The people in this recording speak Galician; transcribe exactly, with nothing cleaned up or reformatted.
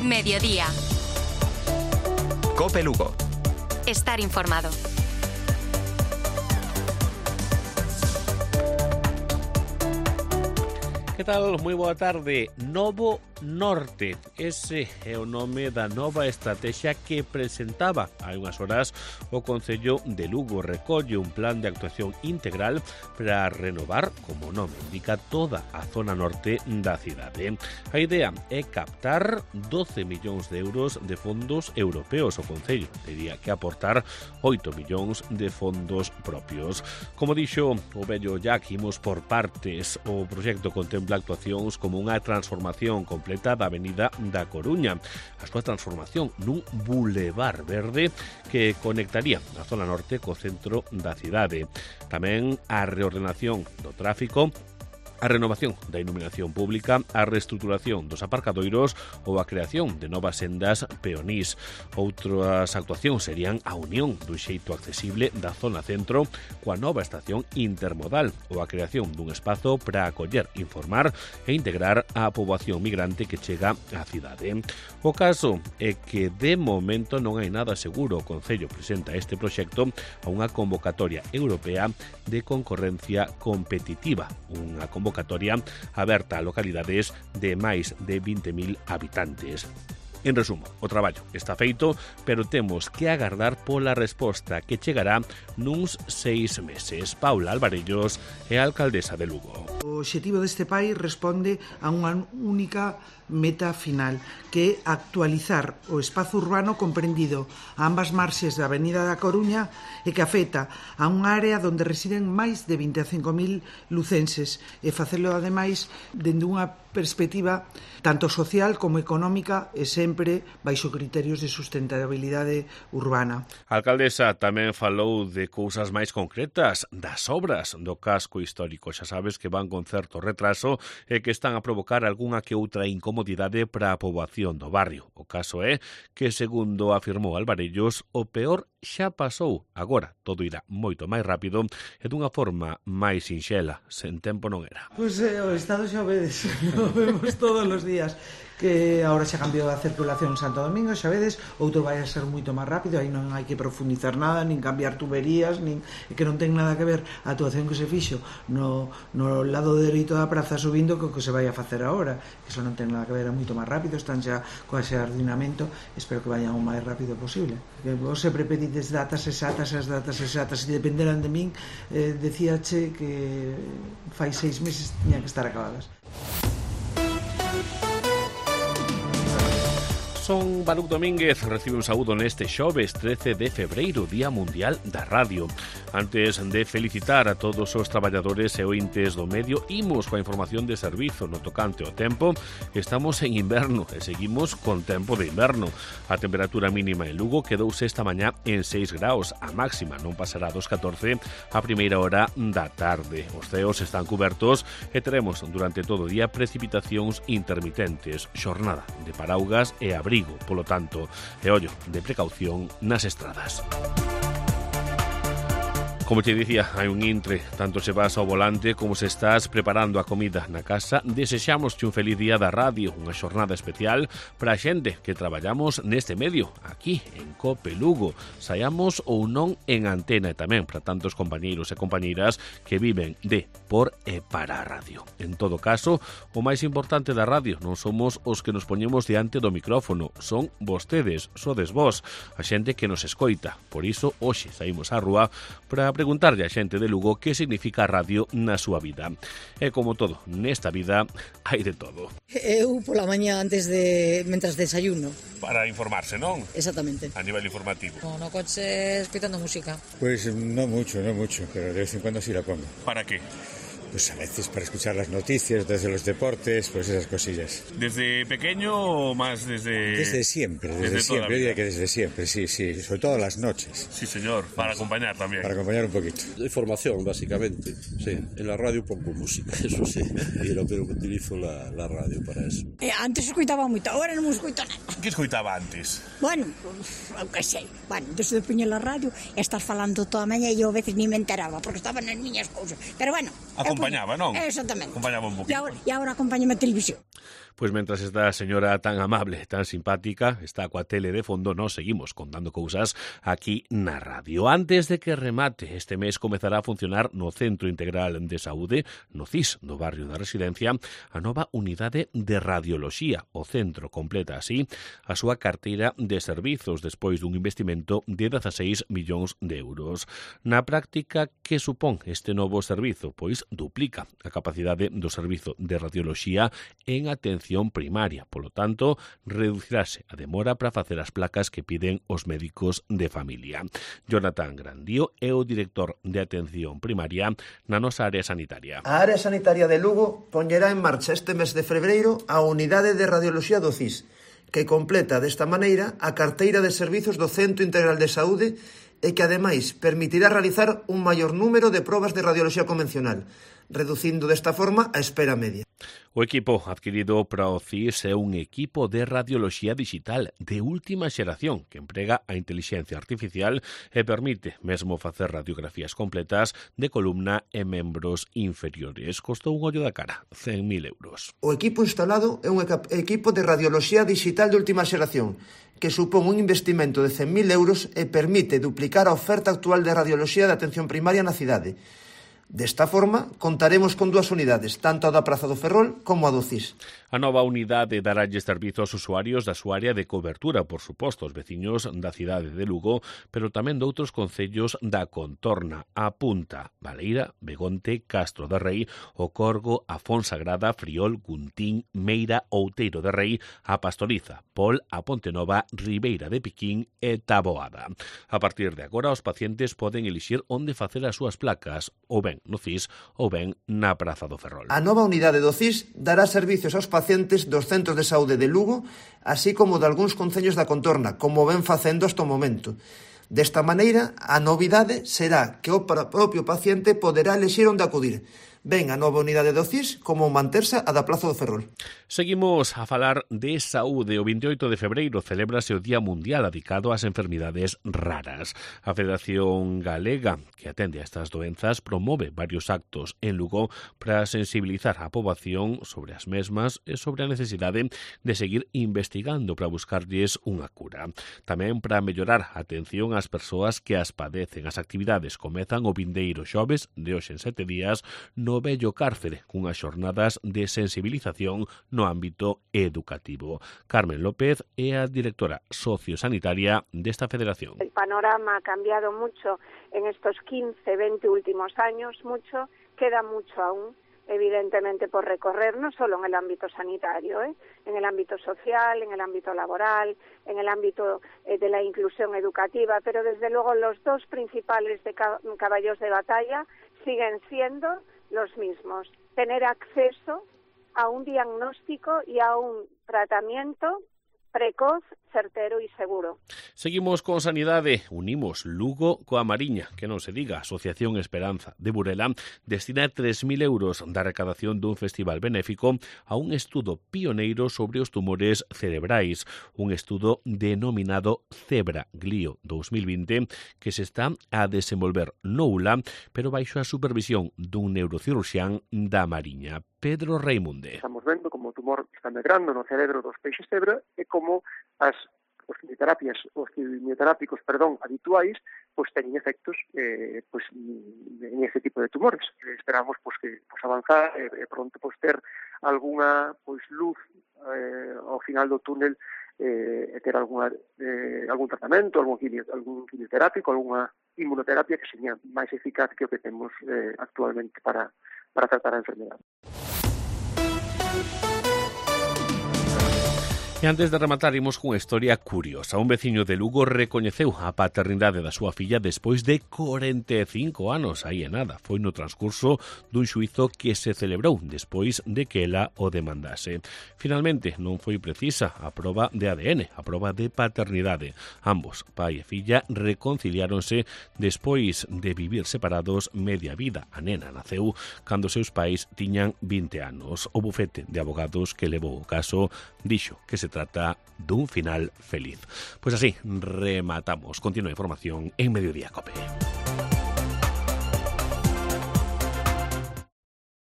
Mediodía. COPE Lugo. Estar informado. Que tal? Moi boa tarde. Novo Norte. Ese é o nome da nova estrategia que presentaba hai unhas horas o Concello de Lugo. Recolle un plan de actuación integral para renovar, como o nome indica, toda a zona norte da cidade. A idea é captar doce millóns de euros de fondos europeos. O Concello tería que aportar oito millóns de fondos propios. Como dixo o vello Jack, imos por partes. O proxecto contempla actuacións como unha transformación completa da Avenida da Coruña, a súa transformación nun bulevar verde que conectaría a zona norte co centro da cidade. Tamén a reordenación do tráfico, a renovación da iluminación pública, a reestruturación dos aparcadoiros ou a creación de novas sendas peonís. Outras actuacións serían a unión dun xeito accesible da zona centro coa nova estación intermodal ou a creación dun espazo para acoller, informar e integrar a poboación migrante que chega á cidade. O caso é que de momento non hai nada seguro. O Concello presenta este proxecto a unha convocatoria europea de concorrencia competitiva, unha convocatoria convocatoria aberta a localidades de máis de vinte mil habitantes. En resumo, o traballo está feito, pero temos que agardar pola resposta que chegará nuns seis meses. Paula Alvarellos é a alcaldesa de Lugo. O obxectivo deste país responde a unha única meta final, que é actualizar o espazo urbano comprendido a ambas marxes da Avenida da Coruña e que afecta a unha área onde residen máis de vinte e cinco mil lucenses e facelo ademais dende unha perspectiva tanto social como económica e sempre baixo criterios de sustentabilidade urbana. A alcaldesa tamén falou de cousas máis concretas, das obras do casco histórico. Xa sabes que van con certo retraso e que están a provocar algunha que outra incomodidade para a poboación do barrio. O caso é que, segundo afirmou Alvarellos, o peor xa pasou. Agora todo irá moito máis rápido e dunha forma máis sinxela. Sen tempo non era. Pois eh, o Estado xa vedes, lo vemos todos os días, que agora xa cambiou a circulación en Santo Domingo, xa vedes, outro vai a ser moito máis rápido, aí non hai que profundizar nada, nin cambiar tuberías, nin que non ten nada que ver a actuación que se fixo no, no lado dereito da praza subindo co que se vai a facer agora, que iso non ten nada que ver, é moito máis rápido, están xa co xardinamento, espero que vayan o máis rápido posible. Que vos sempre pedides datas exactas, as datas exactas, se dependeran de min, eh, decíache que fai seis meses tiñan que estar acabadas. Son Baruc Domínguez, recibe un saúdo neste xoves trece de febreiro, Día Mundial da Radio. Antes de felicitar a todos os traballadores e ointes do medio, imos coa información de servizo no tocante ao tempo. Estamos en inverno e seguimos con tempo de inverno. A temperatura mínima en Lugo quedouse esta mañá en seis graus, a máxima non pasará dos catorce a primeira hora da tarde. Os ceos están cubertos e teremos durante todo o día precipitacións intermitentes, xornada de paraugas e abrigo. Polo tanto, e ollo de precaución nas estradas. Como te dicía, hai un intre, tanto se vas ao volante como se estás preparando a comida na casa. Desexamos un feliz día da radio, unha xornada especial para a xente que traballamos neste medio, aquí en COPE Lugo, saiamos ou non en antena, e tamén para tantos compañeiros e compañeiras que viven de, por e para a radio. En todo caso, o máis importante da radio non somos os que nos poñemos diante do micrófono, son vostedes, sodes vos, a xente que nos escoita. Por iso, hoxe saímos á rúa para preguntarlle a xente de Lugo que significa a radio na súa vida. E como todo, nesta vida hai de todo. Eu pola mañá antes de... mentras desayuno. Para informarse, non? Exactamente. A nivel informativo. No, no coche escoitando música. Pues no mucho, no mucho, pero de vez en cuando sí la pongo. ¿Para qué? Pues a veces para escuchar las noticias, desde los deportes, pues esas cosillas. ¿Desde pequeño o más desde...? Desde siempre, desde, desde siempre, yo diría que desde siempre, sí, sí, sobre todo las noches. Sí, señor, para acompañar también. Para acompañar un poquito. Información, básicamente, sí. En la radio pongo música, eso sí, y lo pero que utilizo la, la radio para eso. Eh, antes escoitaba moito, agora non escoito nada. Que escoitaba antes? Bueno, eu que sei, bueno, desde de poñer la radio, estás falando toda a mañá e eu a veces ni me enteraba, porque estaban nas miñas cousas, pero bueno... Acompañaba, non? Exactamente. Acompañaba un poquito. E agora, e agora acompañame a televisión. Pois mentras esta señora tan amable, tan simpática, está coa tele de fondo, nos seguimos contando cousas aquí na radio. Antes de que remate, este mes comezará a funcionar no Centro Integral de Saúde, no C I S, no barrio da Residencia, a nova unidade de radioloxía. O centro completa así a súa carteira de servizos despois dun investimento de dezaseis millóns de euros. Na práctica, que supón este novo servizo? Pois duplica a capacidade do servizo de radioloxía en atención primaria. Polo tanto, reducirase a demora para facer as placas que piden os médicos de familia. Jonathan Grandío é o director de atención primaria na nosa área sanitaria. A área sanitaria de Lugo poñerá en marcha este mes de febreiro a unidade de radioloxía do C I S, que completa desta maneira a carteira de servizos do Centro Integral de Saúde e que ademais permitirá realizar un maior número de probas de radioloxía convencional, reducindo desta forma a espera media. O equipo adquirido para o C I S é un equipo de radioloxía digital de última xeración que emprega a inteligencia artificial e permite mesmo facer radiografías completas de columna e membros inferiores. Costou un ollo da cara, cen mil euros. O equipo instalado é un equipo de radioloxía digital de última xeración que supón un investimento de cen mil euros e permite duplicar a oferta actual de radioloxía de atención primaria na cidade. Desta forma, contaremos con dúas unidades, tanto a da Praza do Ferrol como a do C I S. A nova unidade daralles servizo aos usuarios da súa área de cobertura, por suposto, os veciños da cidade de Lugo, pero tamén de outros concellos da contorna, a Punta, Baleira, Begonte, Castro de Rei, O Corgo, a Fonsagrada, Friol, Guntín, Meira, Outeiro de Rei, a Pastoriza, Pol, a Pontenova, Ribeira de Piquín e Taboada. A partir de agora, os pacientes poden elixir onde facer as súas placas, ou ben no C I S ou ben na Praza do Ferrol. A nova unidade do C I S dará servicios aos pacientes dos centros de saúde de Lugo, así como de algúns concellos da contorna, como ven facendo hasta o momento. Desta maneira, a novidade será que o propio paciente poderá elexir onde acudir, ben a nova unidade do C I S como manterse a da Praza do Ferrol. Seguimos a falar de saúde. O veintioito de febreiro celébrase o Día Mundial dedicado ás enfermidades raras. A Federación Galega, que atende a estas doenzas, promove varios actos en Lugo para sensibilizar a poboación sobre as mesmas e sobre a necesidade de seguir investigando para buscarlles unha cura. Tamén para mellorar a atención ás persoas que as padecen. As actividades comezan o vindeiro xoves de hoxe en sete días no Bello Cárcere, cunhas xornadas de sensibilización no ámbito educativo. Carmen López é a directora sociosanitaria desta federación. El panorama ha cambiado mucho en estos quince, veinte últimos años, mucho, queda mucho aún, evidentemente por recorrer, no solo en el ámbito sanitario, ¿eh? en el ámbito social, en el ámbito laboral, en el ámbito eh, de la inclusión educativa, pero desde luego los dos principales de caballos de batalla siguen siendo los mismos, tener acceso a un diagnóstico y a un tratamiento precoz, certero e seguro. Seguimos con sanidade. Unimos Lugo coa Mariña, que non se diga. Asociación Esperanza de Burela destina tres mil euros da recadación dun festival benéfico a un estudo pioneiro sobre os tumores cerebrais, un estudo denominado Zebra Glio dos mil vinte, que se está a desenvolver no U L A, pero baixo a supervisión dun neurocirurxián da Mariña. Pedro Reimunde. Estamos vendo como o tumor está medrando no cerebro dos peixes cebra e como as os quimioterapias, os quimioterápicos, perdón, habituais, pois teñen efectos eh, pois, en ese tipo de tumores. Esperamos pois que pois avanzar e eh, pronto pois ter algunha pois luz eh, ao final do túnel eh, e ter alguna, eh, algún tratamento, algún, quimio, algún quimioterápico, algunha inmunoterapia que seña máis eficaz que o que temos eh, actualmente para, para tratar a enfermedade. E antes de rematar, imos cunha historia curiosa. Un veciño de Lugo recoñeceu a paternidade da súa filla despois de corenta e cinco anos. Aí é nada, foi no transcurso dun xuízo que se celebrou despois de que ela o demandase. Finalmente, non foi precisa a proba de A D N, a proba de paternidade. Ambos, pai e filla, reconciliáronse despois de vivir separados media vida. A nena naceu cando seus pais tiñan vinte anos. O bufete de abogados que levou o caso dixo que se trata dun final feliz. Pois así, rematamos. Continúa a información en Mediodía Cope.